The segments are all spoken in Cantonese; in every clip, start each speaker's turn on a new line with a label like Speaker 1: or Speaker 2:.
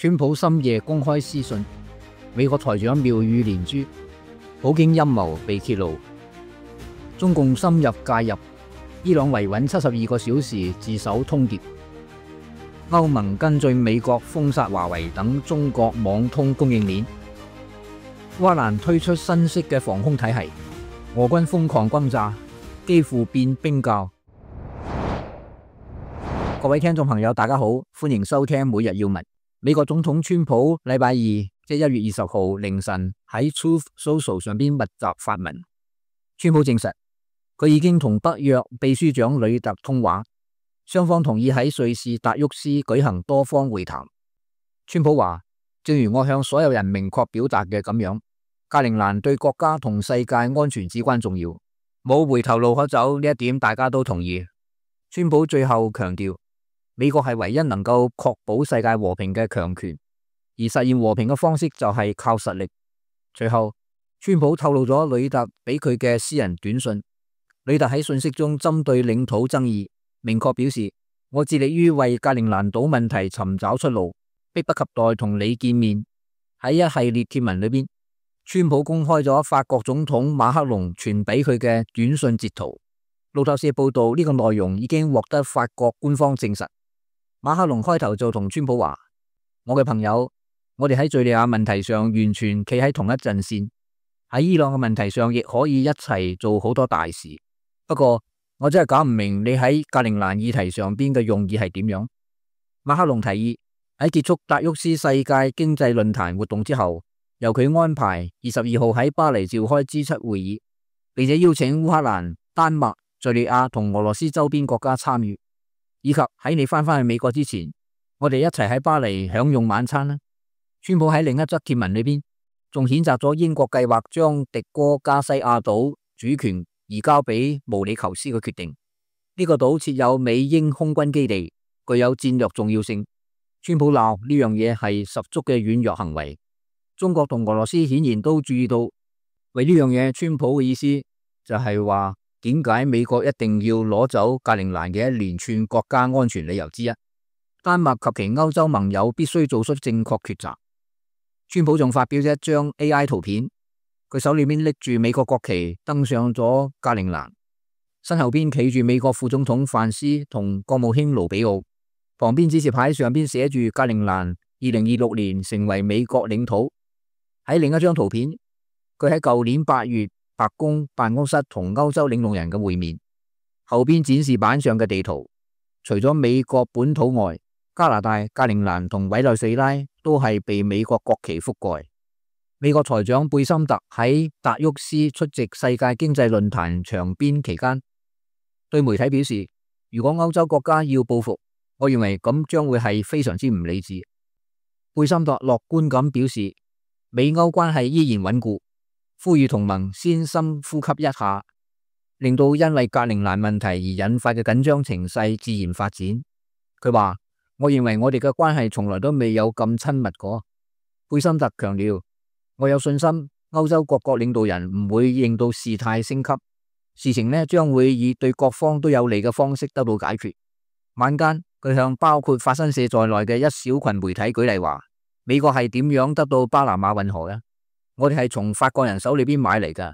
Speaker 1: 川普深夜公開私信，美國財長妙語連珠，普京陰謀被揭露，中共深入介入，伊朗維穩72個小時自首通牒，歐盟跟進美國封殺華為等中國網通供應鏈，烏克蘭推出新式嘅防空體系，俄軍瘋狂轟炸，幾乎變冰窖。各位聽眾朋友，大家好，歡迎收聽每日要聞。美國總統川普禮拜二即1月20號凌晨喺 Truth Social 上邊密集發文，川普證實佢已經同北約秘書長呂特通話，雙方同意喺瑞士達沃斯舉行多方會談。川普話，正如我向所有人明確表達嘅咁樣，格陵蘭對國家同世界安全至關重要，冇回頭路可走，呢一點大家都同意。川普最後強調，美國係唯一能夠確保世界和平嘅強權，而實現和平嘅方式就係靠實力。隨後，川普透露咗呂特俾佢嘅私人短信。呂特喺信息中針對領土爭議，明確表示，我致力於為格陵蘭島問題尋找出路，迫不及待同你見面。喺一系列貼文裏邊，川普公開咗法國總統馬克龍傳俾佢嘅短信截圖。路透社報道，呢個內容已經獲得法國官方證實。馬克龍開頭就同川普話，我嘅朋友，我哋喺敘利亞問題上完全企喺同一陣線，喺伊朗嘅問題上亦可以一齊做好多大事。不過我真係搞唔明你喺格陵蘭議題上邊嘅用意係點樣。馬克龍提議喺結束達沃斯世界經濟論壇活動之後，由佢安排22號喺巴黎召開 G7 會議，並且邀請烏克蘭、丹麥、敘利亞同俄羅斯周邊國家參與。以及喺你翻去美國之前，我哋一齊喺巴黎享用晚餐啦。川普喺另一則貼文裏邊，仲譴責咗英國計劃將迪哥加西亞島主權移交俾毛里求斯嘅決定。呢個島設有美英空軍基地，具有戰略重要性。川普鬧呢樣嘢係十足嘅軟弱行為。中國同俄羅斯顯然都注意到，為呢樣嘢，川普嘅意思就係話，點解美國一定要攞走格陵蘭嘅一連串國家安全理由之一？丹麥及其歐洲盟友必須做出正確抉擇。川普仲發表咗一張 AI 圖片，佢手裏面拎住美國國旗登上咗格陵蘭，身後邊企住美國副總統范斯同國務卿盧比奧，旁邊指示牌上邊寫住格陵蘭2026年成為美國領土。喺另一張圖片，佢喺舊年8月白宮辦公室同歐洲領導人嘅會面，後邊展示板上嘅地圖，除咗美國本土外，加拿大、格陵蘭同委內瑞拉都係被美國國旗覆蓋。美國財長貝森特喺達沃斯出席世界經濟論壇場邊期間，對媒體表示，如果歐洲國家要報復，我認為咁將會係非常之唔理智。貝森特樂觀咁表示，美歐關係依然穩固，呼籲同盟先深呼吸一下，令到因為格陵蘭問題而引發嘅緊張情勢自然發展。佢話，我認為我哋嘅關係從來都未有咁親密過。貝森特強調，我有信心歐洲各國領導人唔會令到事態升級，事情呢將會以對各方都有利嘅方式得到解決。晚間，佢向包括法新社在內嘅一小群媒體舉例話，美國係點樣得到巴拿馬運河嘅？我哋係從法國人手裏邊買嚟噶。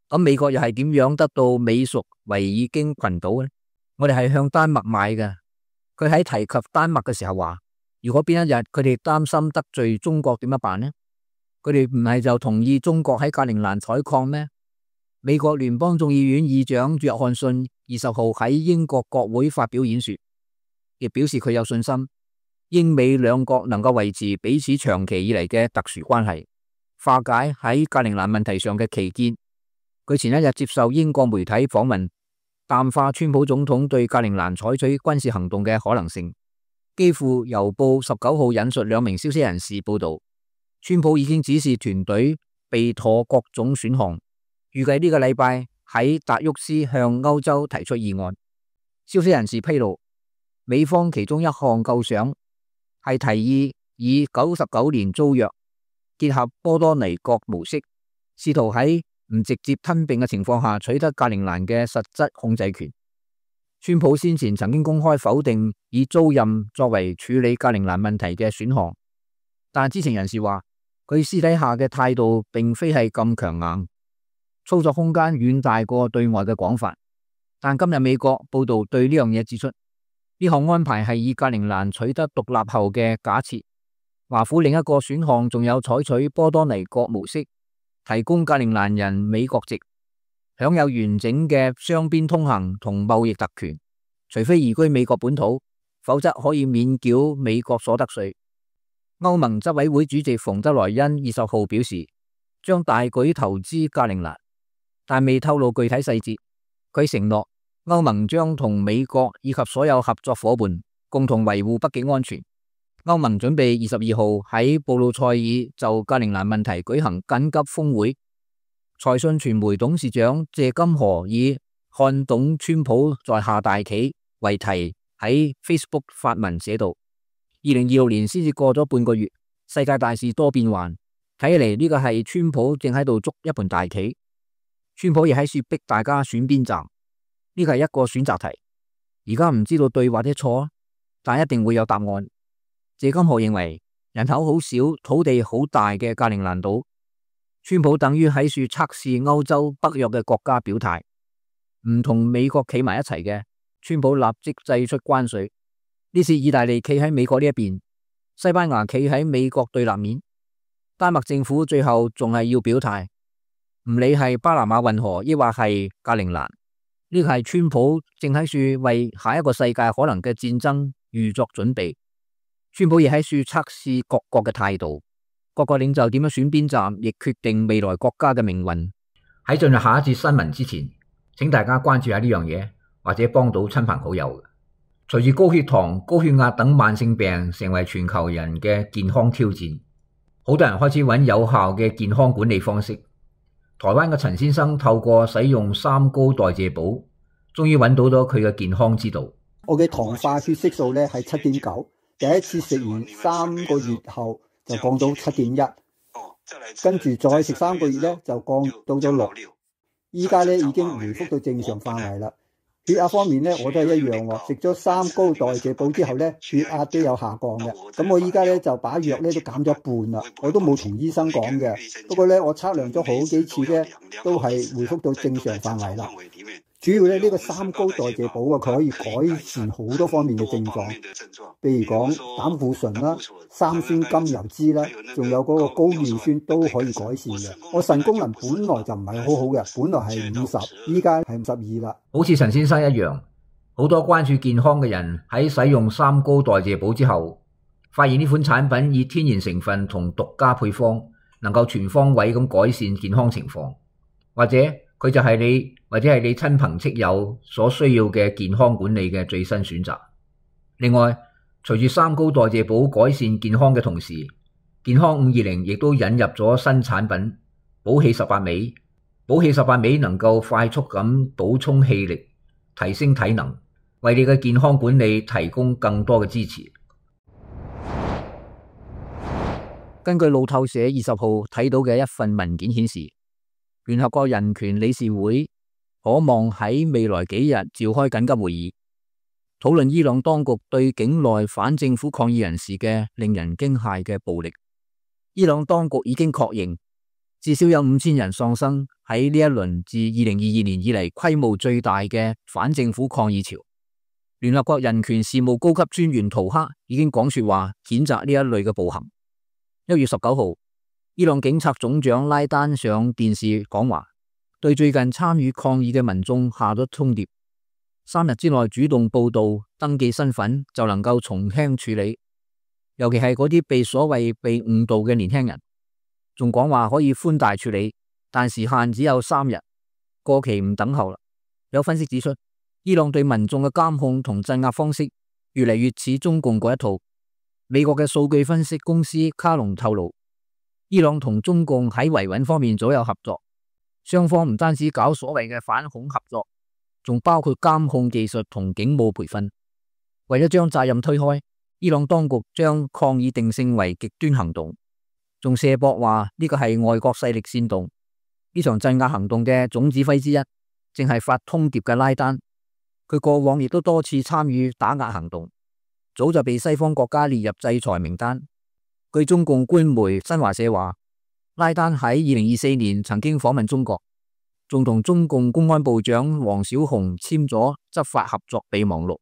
Speaker 1: 咁美國又係點樣得到美屬維爾京群島呢？我哋係向丹麥買嘅。佢喺提及丹麥嘅時候話，如果邊一日佢哋擔心得罪中國點樣辦呢？佢哋唔係就同意中國喺格陵蘭採礦咩？美國聯邦眾議院議長約翰遜20號喺英國國會發表演說，亦表示佢有信心英美兩國能夠維持彼此長期以嚟嘅特殊關係，化解喺格陵蘭問題上嘅歧見。佢前一日接受英國媒體訪問，淡化川普總統對格陵蘭採取軍事行動嘅可能性。基輔郵報19號引述2名消息人士報道，川普已經指示團隊備妥各種選項，預計呢個禮拜喺達沃斯向歐洲提出議案。消息人士披露，美方其中一項構想係提議以99年租約結合波多黎各模式，試圖喺唔直接吞併嘅情況下取得格陵蘭嘅實質控制權。川普先前曾經公開否定以租賃作為處理格陵蘭問題嘅選項，但知情人士話，佢私底下嘅態度並非係咁強硬，操作空間遠大過對外嘅講法。但今日美國報道對呢樣嘢指出，呢項安排係以格陵蘭取得獨立後嘅假設。華府另一個選項仲有採取波多黎各模式，提供格陵蘭人美國籍，享有完整嘅雙邊通行同貿易特權，除非移居美國本土，否則可以免繳美國所得稅。歐盟執委會主席馮德萊恩20號表示，將大舉投資格陵蘭，但未透露具體細節。佢承諾歐盟將同美國以及所有合作夥伴共同維護北極安全。歐盟準備22號喺布魯塞爾就格陵蘭問題舉行緊急峰會。財訊傳媒董事長謝金河以看懂川普在下大棋為題喺 Facebook 發文寫道：2026年先至過咗半個月，世界大事多變幻，睇起嚟呢個係川普正喺度捉一盤大棋。川普亦喺處逼大家選邊站，呢個係一個選擇題。而家唔知道對或者錯，但一定會有答案。謝金河認為，人口好少、土地好大嘅格陵蘭島，川普等於喺處測試歐洲北約嘅國家表態，唔同美國企埋一齊嘅，川普立即祭出關稅。呢次意大利企喺美國呢一邊，西班牙企喺美國對立面，丹麥政府最後仲係要表態。唔理係巴拿馬運河，抑或係格陵蘭，呢個係川普正喺處為下一個世界可能嘅戰爭預作準備。川普亦喺處測試各國嘅態度，各個領袖點樣選邊站，亦決定未來國家嘅命運。喺進入下一節新聞之前，請大家關注下呢樣嘢，或者幫到親朋好友。隨住高血糖、高血壓等慢性病成為全球人嘅健康挑戰，好多人開始揾有效嘅健康管理方式。台灣嘅陳先生透過使用三高代謝寶，終於揾到咗佢嘅健康之道。
Speaker 2: 我嘅糖化血色素咧係7.9，第一次食完3個月後就降到7.1，跟住再食3個月咧就降到咗6，依家咧已經回復到正常範圍啦。血壓方面咧我都係一樣喎，食咗三高代謝寶之後咧血壓都有下降嘅。咁我依家咧就把藥咧都減咗一半啦，我都冇同醫生講嘅。不過咧我測量咗好幾次咧都係回復到正常範圍啦。主要咧呢個三高代謝寶啊，佢可以改善好多方面嘅症狀，譬如講膽固醇啦、三酸甘油酯啦，仲有嗰個高尿酸都可以改善嘅。我腎功能本來就唔係好好嘅，本來係50，依家係52啦。
Speaker 1: 好似陳先生一樣，好多關注健康嘅人喺使用三高代謝寶之後，發現呢款產品以天然成分同獨家配方，能夠全方位咁改善健康情況，或者佢就係你或者係你親朋戚友所需要嘅健康管理嘅最新選擇。另外，隨住三高代謝寶改善健康嘅同時，健康520亦都引入咗新產品補氣18味。補氣18味能夠快速咁補充氣力，提升體能，為你嘅健康管理提供更多嘅支持。根據路透社20號睇到嘅一份文件顯示，聯合國人權理事會可望喺未來幾日召開緊急會議，討論伊朗當局對境內反政府抗議人士嘅令人驚駭嘅暴力。伊朗當局已經確認，至少有5000人喪生喺呢一輪自2022年以嚟規模最大嘅反政府抗議潮。聯合國人權事務高級專員圖克已經講說話，譴責呢一類嘅暴行。1月19號，伊朗警察總長拉丹上電視講話，對最近參與抗議嘅民眾下咗通牒：3日之內主動報到、登記身份就能夠從輕處理，尤其係嗰啲被所謂被誤導嘅年輕人。仲講話可以寬大處理，但時限只有3日，過期唔等候啦。有分析指出，伊朗對民眾嘅監控同鎮壓方式越嚟越似中共嗰一套。美國嘅數據分析公司卡隆透露，伊朗同中共喺維穩方面早有合作，雙方唔單止搞所謂嘅反恐合作，仲包括監控技術同警務培訓。為咗將責任推開，伊朗當局將抗議定性為極端行動，仲卸膊話呢個係外國勢力煽動。呢場鎮壓行動嘅總指揮之一，正係發通牒嘅拉丹，佢過往亦都多次參與打壓行動，早就被西方國家列入制裁名單。據據中共官媒新華社話，拉丹喺2024年曾經訪問中國，仲同中共公安部長王小洪簽咗執法合作備忘錄，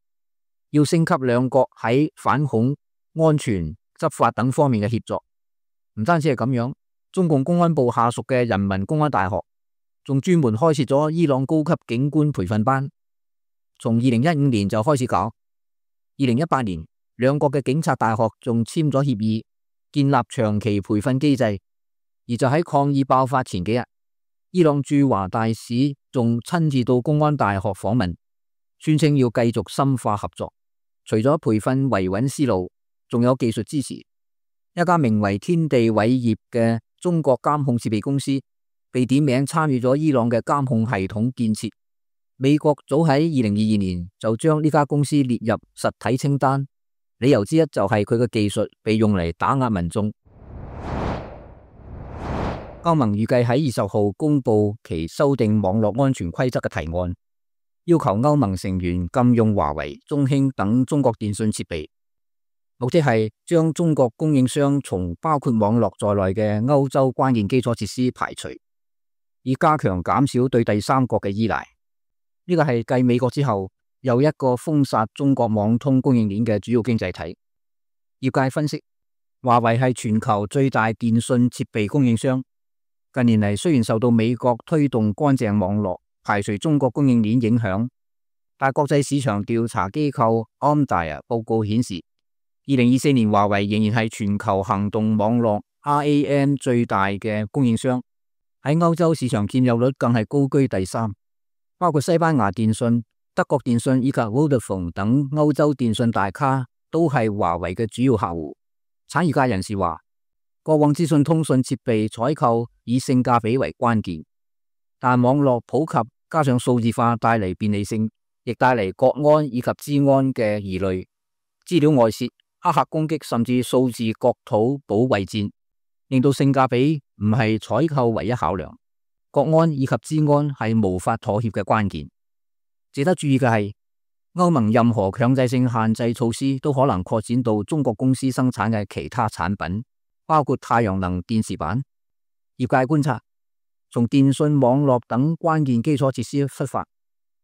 Speaker 1: 要升級兩國喺反恐、安全、執法等方面嘅協作。唔單止係咁樣，中共公安部下屬嘅人民公安大學仲專門開設咗伊朗高級警官培訓班，從2015年就開始搞。2018年，兩國嘅警察大學仲簽咗協議，建立長期培訓機制。而就喺抗議爆發前幾日，伊朗駐華大使仲親自到公安大學訪問，宣稱要繼續深化合作。除咗培訓維穩思路，仲有技術支持。一家名為天地偉業嘅中國監控設備公司被點名參與咗伊朗嘅監控系統建設。美國早喺2022年就將呢家公司列入實體清單，理由之一就係佢嘅技術被用嚟打壓民眾。歐盟預計喺20號公布其修訂網絡安全規則嘅提案，要求歐盟成員禁用華為、中興等中國電信設備，目的係將中國供應商從包括網絡在內嘅歐洲關鍵基礎設施排除，以加強減少對第三國嘅依賴。呢個係繼美國之後又一個封殺中國網通供應鏈嘅主要經濟體。業界分析，華為係全球最大電信設備供應商。近年嚟，雖然受到美國推動乾淨網絡、排除中國供應鏈影響，但國際市場調查機構 Omdia 報告顯示，2024年華為仍然係全球行動網絡 RAN 最大嘅供應商，喺歐洲市場佔有率更係高居第3，包括西班牙電信、德國電信以及 Vodafone 等歐洲電信大咖都係華為嘅主要客戶。產業界人士話，過往資訊通訊設備採購以性價比為關鍵，但網絡普及加上數字化帶嚟便利性，亦帶嚟國安以及資安嘅疑慮。資料外泄、黑客攻擊甚至數字國土保衛戰，令到性價比唔係採購唯一考量，國安以及資安係無法妥協嘅關鍵。值得注意嘅係，歐盟任何強制性限制措施都可能擴展到中國公司生產嘅其他產品，包括太陽能電池板。業界觀察，從電信網絡等關鍵基礎設施出發，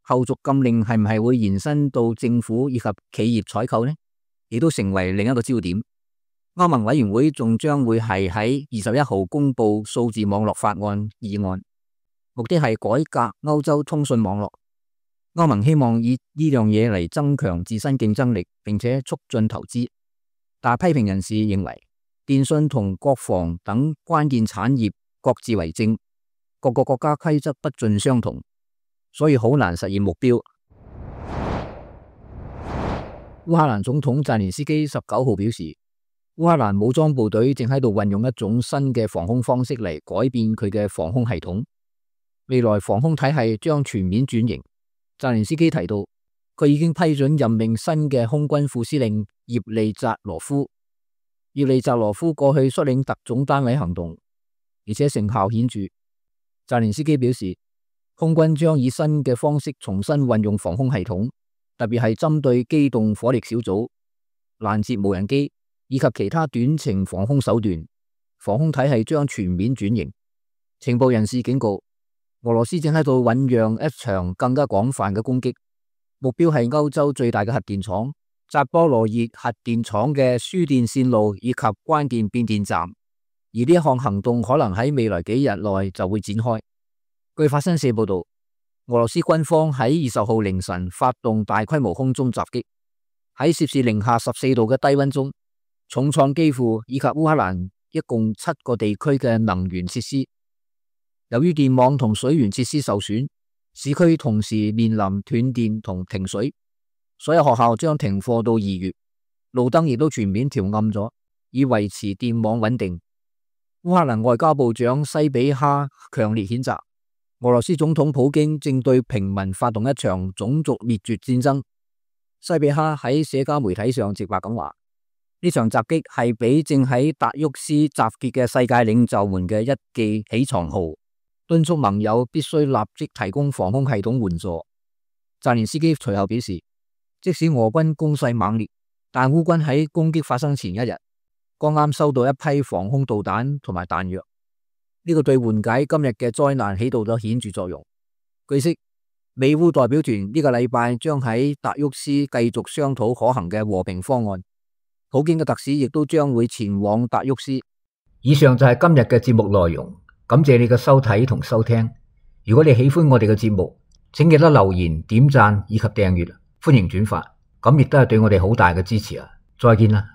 Speaker 1: 後續禁令係唔係會延伸到政府以及企業採購呢？亦都成為另一個焦點。歐盟委員會仲將會係喺21號公布數字網絡法案議案，目的係改革歐洲通訊網絡。歐盟希望以呢樣嘢嚟增強自身競爭力，並且促進投資。但批評人士認為，電信同國防等關鍵產業各自為政，各個國家規則不盡相同，所以好難實現目標。烏克蘭總統澤連斯基19號表示，烏克蘭武裝部隊正喺度運用一種新嘅防空方式嚟改變佢嘅防空系統，未來防空體系將全面轉型。澤連斯基提到，佢已經批准任命新嘅空軍副司令葉利扎羅夫。葉利扎羅夫過去率領特種單位行動，而且成效顯著。澤連斯基表示，空軍將以新嘅方式重新運用防空系統，特別係針對機動火力小組、攔截無人機以及其他短程防空手段，防空體系將全面轉型。情報人士警告，俄羅斯正喺度醞釀一場更加廣泛嘅攻擊，目標係歐洲最大嘅核電廠扎波羅熱核電廠嘅輸電線路以及關鍵變電站，而呢一項行動可能喺未來幾日內就會展開。據法新社報道，俄羅斯軍方喺20號凌晨發動大規模空中襲擊，喺攝氏-14度嘅低溫中，重創基輔以及烏克蘭一共7個地區嘅能源設施。由於電網同水源設施受損，市區同時面臨斷電同停水。所有學校將停課到2月，路燈亦都全面調暗咗，以維持電網穩定。烏克蘭外交部長西比哈強烈譴責俄羅斯總統普京正對平民發動一場種族滅絕戰爭。西比哈喺社交媒體上直白咁話，呢場襲擊係俾正喺達沃斯集結嘅世界領袖們嘅一記起床號，敦促盟友必須立即提供防空系統援助。澤連斯基隨後表示，即使俄軍攻勢猛烈，但烏軍喺攻擊發生前一日，剛啱收到一批防空導彈同埋彈藥，呢個對緩解今日嘅災難起到咗顯著作用。據悉，美烏代表團呢個禮拜將喺達沃斯繼續商討可行嘅和平方案，普京嘅特使亦都將會前往達沃斯。以上就係今日嘅節目內容，感謝你嘅收睇同收聽。如果你喜歡我哋嘅節目，請記得留言、點讚以及訂閱，歡迎轉發，咁亦都係對我哋好大嘅支持啊！再見啦。